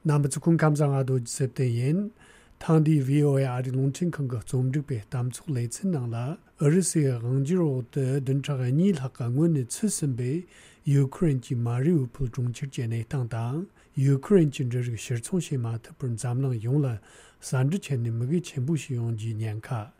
남부군 감상아도 셉대인 당디 VOA 아리 롱친 컨거 좀득베 담축 레츠낭라 어르스의 강지로의 등차가 니학강원의 츠슨베 우크라이나지 마리우폴 중치제네 당당 우크라이나 진저의 실총시마 특별 잠랑 용라 산지체네 먹이 전부시 용지 년카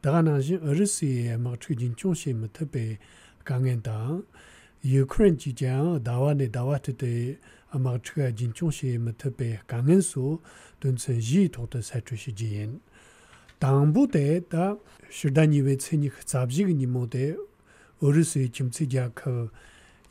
다가나시 어르스의 막추진 총시마 특배 강엔당 우크라이나 지장 다와네 다와트데 아마추가 진총시 못베 강은수 돈선지 도도 사주시지인 당부대다 시다니베 체니 잡지기니 모데 어르스의 김치자 그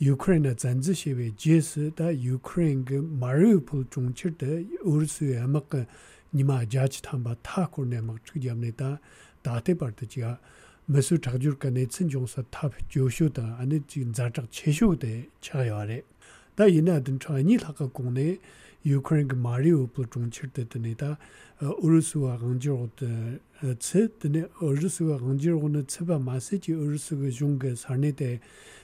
우크라이나 전지시베 제스다 우크라이나 마리우폴 중치데 어르스의 아마가 니마 자치 탐바 타코네 막 추기합니다 다테바르지가 메수 자주르카네 친종사 탑 조쇼다 아니 진 자작 체쇼데 차야레 다 이나든 차니 하가 공네 우크라이나 마리우폴 중치르데니다 우르스와 강지로데 츠드네 우르스와 강지로는 츠바 마세지 우르스가 중게 사네데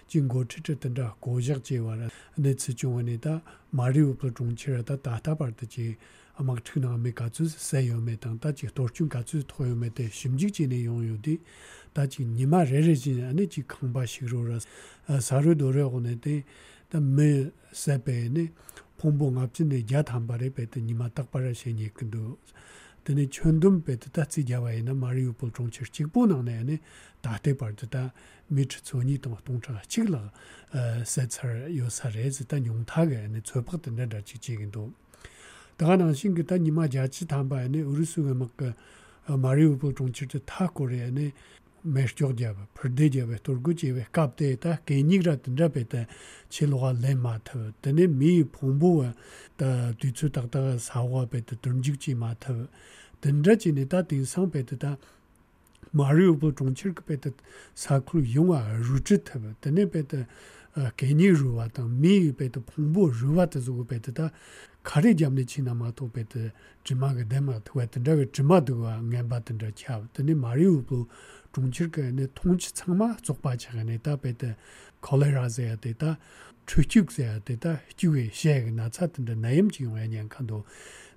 진고 치르든다 고작제와라 네 츠중원이다 마리우폴 중치르다 다타바르지 아마 트나메 가츠 세요메 당다지 도중 가츠 토요메데 심직진의 용요디 다지 니마 레레진 아니지 강바시로라 사르도레고네데 다메 세베네 퐁봉 앞진의 야탐바레 베드 니마 딱바라시니 근도 드네 촌둠 베드 다지 야와이나 마리우폴 중치르직 보나네네 다테바르다 미츠소니 동차 치글라 세처 요사레즈 단 용타게네 쳬박든다 지지긴도 다가나 신기다 니마 자치 담바네 우르스가 막 마리우폴 중치르 타코레네 메스조디아바 퍼데디아베 토르구지베 갑데타 게니그라든다베타 칠로가 레마트 데네 미 퐁보와 다 뒤츠닥다가 사와베트 던직지 마트 던자지네다 딘상베트다 마리우폴 중치르베트 사클 용아 루츠타베 데네베트 게니루와다 미베트 퐁보 루와트 zu고베트다 가리잠네 치나마토 베트 지마게 데마트 와든다가 지마도가 냠바든다 차 데네 마리우폴 중치르가네 통치 창마 족바차가네 다베데 콜레라제야 데다 추축제야 데다 주에 셰가 나차든데 나임지용에냥 칸도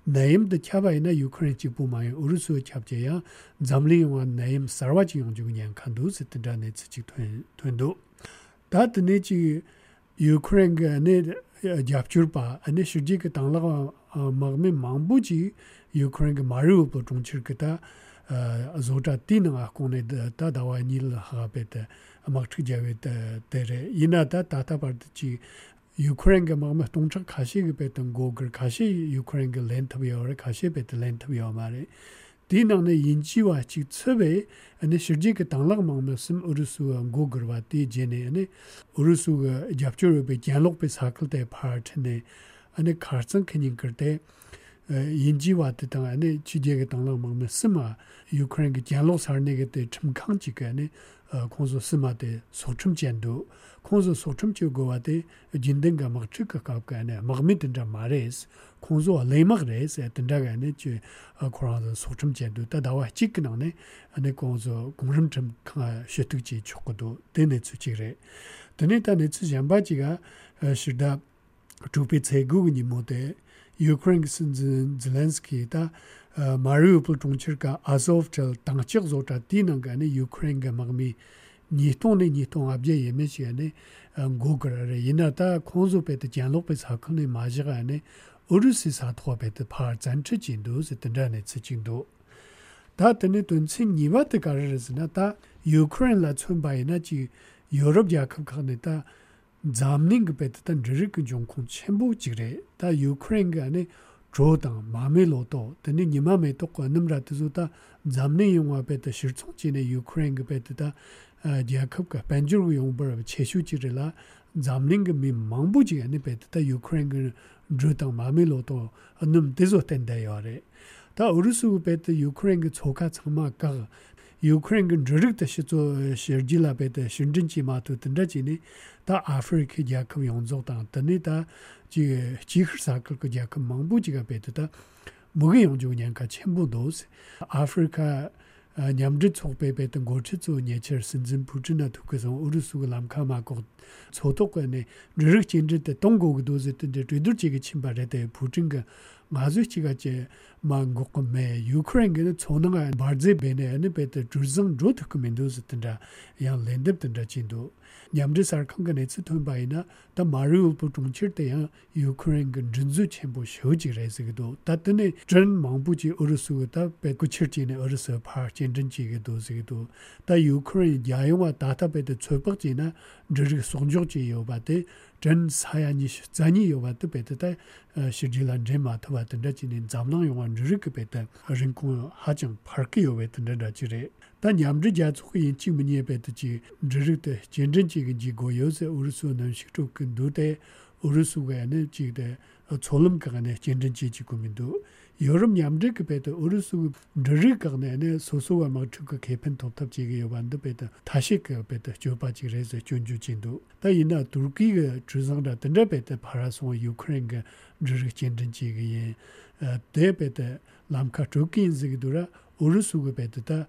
나임데 차바이나 우크라이나 지부마에 우르스 잡제야 잠리와 나임 사르와지용 중냥 칸도 스트다네 츠직 튼도 다드네지 우크라이나네 잡출바 아니 시지가 당라가 마그메 망부지 우크라이나 마리우폴 중치르가다 zota tina kone da dawa nil habete amakthi javete tere ina da tata parti Ukraine ga ma tongcha khashi ge beton goger khashi Ukraine ge length bi or khashi bet length bi mare dina ne yinjiwa chi tsebe ane shirji ge tanglag ma sim urusu goger wa ti jene ane urusu ge japchur be janlok be sakal de part ne ane kharsan khening karte 인지와 뜻당 안에 지제가 당랑 먹는 스마 우크라이나 janlo sarnege de chimkhang jigane konzo smade sochum jendo konzo sochum jogwade jindenga magchika kapkane magmitenda mares konzo lemagres etendagane je koranzo sochum jendo dawa jiknane ane konzo gongrimchim kha shetukji chokdo dene chujire dene tane chjambajiga shida tupi tsegugni mode Ukraine Zelensky da Mariupol 중치르가 Azovstal 당적 조타 디는가네 Ukraine mag미 니톤네 니톤 압제 예메시네 고그라레 이나다 콘조베트 janlop베 사건네 마지가네 우르시 사토베트 파 잔치진도 스든다네 치진도 다드네 돈친 니바트 가르스나 다 Ukraine 촌바이나지 유럽 야컵 칸네다 잠닝 베트던 르르크 종콘 첨부 지레 다 우크라이나 안에 조당 마멜로도 드니 니마메 똑고 넘라트조다 잠닝 용화 베트 실총진의 우크라이나 베트다 야컵가 반주르 용버 체슈지르라 잠닝 미 망부지 안에 베트다 우크라이나 조당 마멜로도 넘 데조텐다요레 다 우르스 베트 우크라이나 조카 참마가 우크라이나 르르크 시조 셔질라 베트 신진지 마토 든다지니 다 아프리카 야컵 용조다 드니다 지 지흐사클 그 야컵 망부지가 베트다 뭐게 용조냐가 전부도 아프리카 냠드 촉베베던 고치조 예처 신진 부진나 독에서 우르수가 남카마고 소독관에 르륵진데 동고도 즈든데 뒤들지게 침발에 부진가 마주치가 제 망고매 유크레인게 초능한 바제 베네네 베트 주정 조트 커맨도스든다 야 랜드든다 진도 냠드사르 컨가네츠 톤바이나 다 마리우 부퉁칠때야 유크레인게 준주 첨부 쇼지레스기도 따뜻네 전 망부지 어르수다 베쿠칠지네 어르서 파 진전지기도 지기도 다 유크레인 야용와 다타베드 최박지나 저기 송조지 요바데 전 사야니 자니 요바데 베드다 시질란 제마타바 든다지는 잠랑 용한 저기 베드 rinko 하정 파크 요베든다 지레 단 냠드자 초이 지문이 베드지 저르데 진전지기 고요세 우르수는 식족근 두대 우르수가는 지데 졸음가네 진전지지 고민도 여름 냠드그 베드 우르수 저르가네 소소와 막트그 개편 톱탑지기 요반도 베드 다시 그 베드 조바지레서 준주진도 다이나 두르기가 주상다 든다 베드 파라송 유크레인가 저르 진전지기 데베드 람카 조긴즈기도라 우르수가 베드다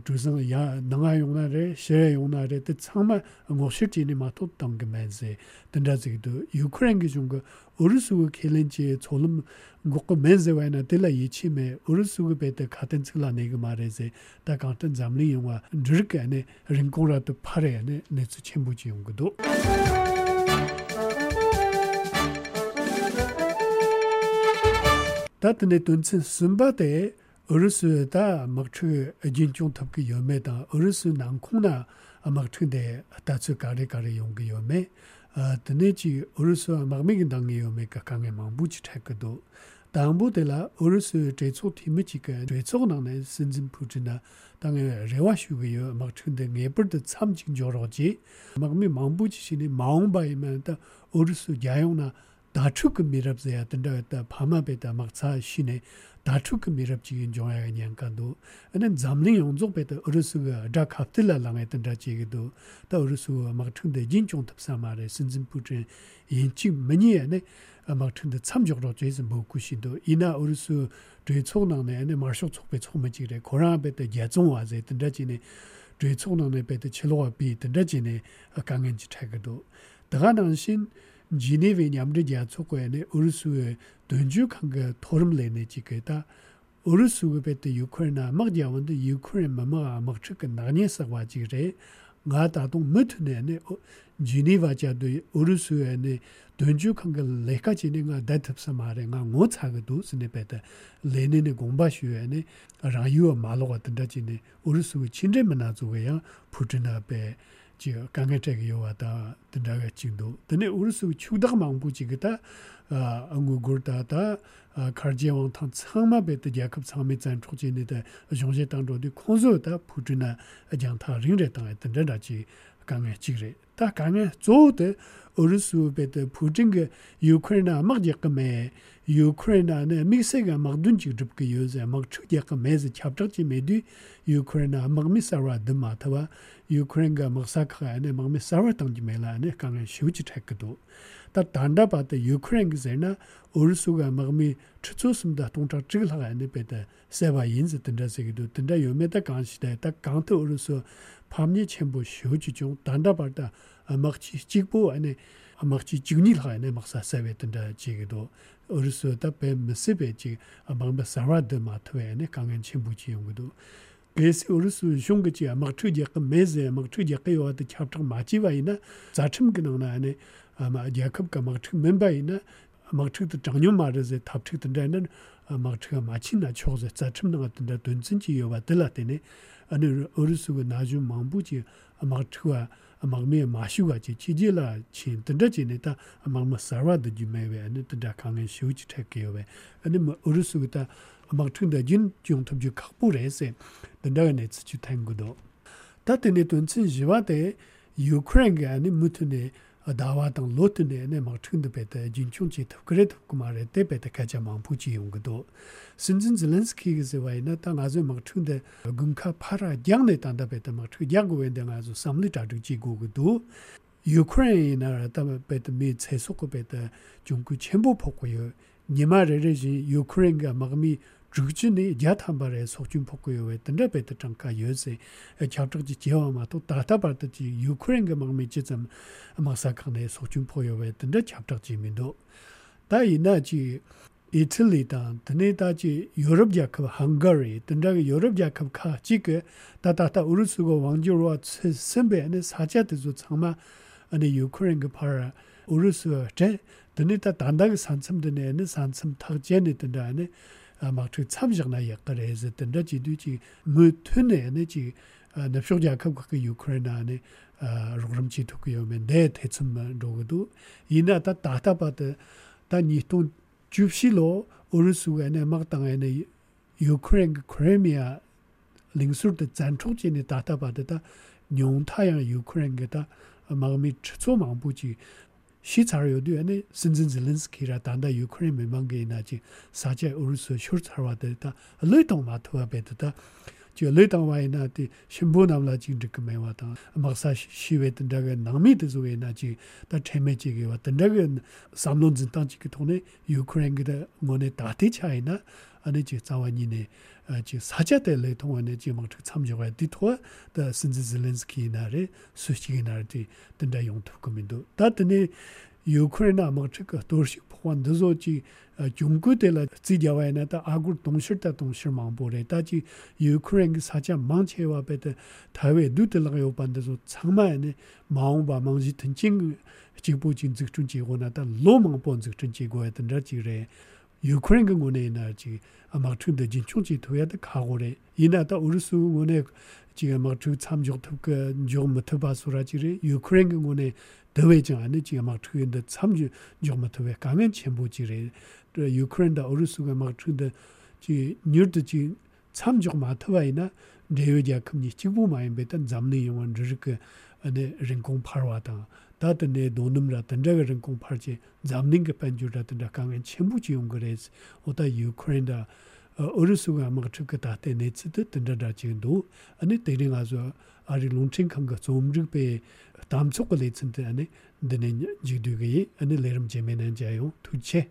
주성 야 능아용나레 셰용나레 때 참마 고실지니 마토 당게면세 든다지기도 유크레인 기준거 우르수가 켈렌지 졸음 고고 멘제와나 딜라 이치메 우르수가 베드 같은 틀라 내가 말해세 다 같은 잠리 용화 드르게네 링코라도 파레네 네츠 첨부지 용거도 다트네 돈친 숨바데 어르스다 막추 진종 탑기 요메다 어르스 난콩나 막추데 다츠 가레가레 용기 요메 드네지 어르스 막미긴 당이 요메가 강에 망부치 택도 당부데라 어르스 제초 팀이지가 제초나네 신진푸지나 당에 레와슈기요 막추데 네버드 참징조로지 막미 망부치시니 마음바이면다 어르스 야용나 다축 미랍세야 된다 파마베다 막차 시네 다축 미랍지인 종야가 냥간도 아는 잠링 용족베다 어르스가 다카틀라랑에 된다 지기도 다 어르스 막춘데 진종 탑사마레 신진푸진 인치 머니에네 막춘데 참적으로 제스 먹고시도 이나 어르스 되초나네 마쇼 촉베 촉매지래 고라베다 예종와제 된다지네 되초나네 베다 칠로와 비 된다지네 강엔지 타가도 다가난신 지네베 냠르디아 초코에네 우르수에 던주칸가 토름레네 지게다 우르수가 베트 유크레나 막디아원데 유크레인 마마 막츠가 나니에서와 지레 나다도 못네네 지네바자도 우르수에네 던주칸가 레카지네가 다탑사마레가 모차가도 스네베다 레네네 공바슈에네 라유어 말로가 든다지네 우르수 친제만나조야 푸트나베 지금 강해적 요하다 된다가 진도 근데 우르수 추다가 망부지기다 안고고다다 카르지왕 탕 참마베드 야컵 참메잔 초진이다 정제 당도디 콘소다 푸드나 장타 링레다 된다지 강해지래 다 강해 조데 우르수 베드 푸딩게 우크라이나 막약메 우크라이나네 미세가 막둔지 줍게 요새 막 추디가 메즈 찹적지 메디 우크라이나 막미사라 드마타와 우크라이나가 막사카네 막미사라 당지 메라네 강에 쉬우지 택도 다 단다바데 우크라이나가 우르수가 막미 추초스입니다 동작 찍을하네 베데 세바 인즈 든다세기도 든다 요메다 간시대 딱 강트 우르수 밤니 첨부 쉬우지 좀 단다바다 막치 찍보 안에 막치 찍니라네 막사 세베든다 지기도 어르스다 뱀세베지 아방바 사라드 마트웨네 강엔 첨부지 용도 베스 어르스 숑게지 막트지 메제 막트지 요한테 찹적 마치바이나 자침 그능나네 아마 야컵가 막트 멤버이나 막트도 장년 말에서 탑트든다는 막트가 마치나 초제 자침능 같은데 돈진지 요바들라테네 아니 어르스가 나중 망부지 막트가 막미 마슈가지 지질라 친 든다지네다 막마 사라드 주메베 아니 든다 강에 쉬우지 택게요베 아니 어르스가 막트인데 진 종탑지 각부레세 든다네 츠치 탱고도 다테네 돈진지와데 우크라이나 아니 무트네 다와당 로트네네 막트인데 베데 진충지 그래도 그말에 데베데 가자만 부지 용거도 신진 zelensky 그제와이나 땅 아주 막트인데 군카 파라 장네 단다베데 막트 야고엔데 아주 삼리다도 지고도 우크라이나 다베데 미 체속베데 중국 첨부 포고요 니마레레지 우크라이나가 막미 죽지니 야탐바레 속준 포고요 했던데 베데 잠깐 요새 잡적지 지어마 또 다다바르지 우크라이나가 막미 지점 마사카네 속준 포요 했던데 잡적지민도 다이나지 이탈리 단 드네다지 유럽 자급 헝가리 든다가 유럽 자급 카 지게 다다다 우르스고 왕조와 선배는 사자들도 정말 아니 유크레인 그 파라 우르스 제 드네다 단다가 산섬드네는 산섬 타제네 든다네 아마 그 참작나 약거래서 든다 지두지 무트네네 지 납쇼 자급 그 유크레인에 로그람지 도쿄면 내 대쯤만 로고도 이나다 다다바데 다니통 주시로 우르스에네 막당에네 유크레인 크레미아 링수르드 잔촉진이 다다바데다 뇽타양 유크레인게다 마음이 초망부지 시차르요드에네 신진젤렌스키라 단다 유크레인 메망게나지 사제 우르스 쇼르차와데다 레동마토아베데다 저 레동와이나티 신부남라지 드크메와다 막사 시웨든다가 남미드조에나지 다 체메지게 왔던다가 삼론진 땅지기 돈에 유크레인게 뭐네 다티차이나 아니지 자원이네 지 사자들의 동안에 지금 참여가 뒤토 더 신진젤렌스키나레 수시기나르디 된다 용토금인도 다드네 유크레인 아마츠가 도시 포환도지 중국들의 지자와에나다 아구 동실다 동실망보래 다지 유크레인 사자 망체와 베데 다외 누들라요 반데서 장마에네 마음바 망지 튼징 지보진 즉준지고나다 로망본즉 준지고야 된다지래 유크레인 군에나지 아마 tunde jin chungji toya de kagore ina da ursu ngone 지금 막 참족 그 좀부터 소라지리 유크레인 군에 대외장 안에 지금 막 트인데 참주 좀부터 왜 가면 전부지리 유크레인다 어르수가 막 트인데 지 뉴르지 참족 마트와이나 대외자 금리 지부 많이 배던 잠내 용원 저렇게 안에 ren공 파르와다 다든에 돈음라 던자가 ren공 파르지 잠는 게 반주라든가 가면 전부지 용 그래서 오다 유크레인다 어르수가 아마 그다 때네츠드 던다다 지도 아니 때링아서 아리 롱칭한 거 좀르베 담속을 내친데 아니 드네 지두게 아니 레름 제메는 자요 투체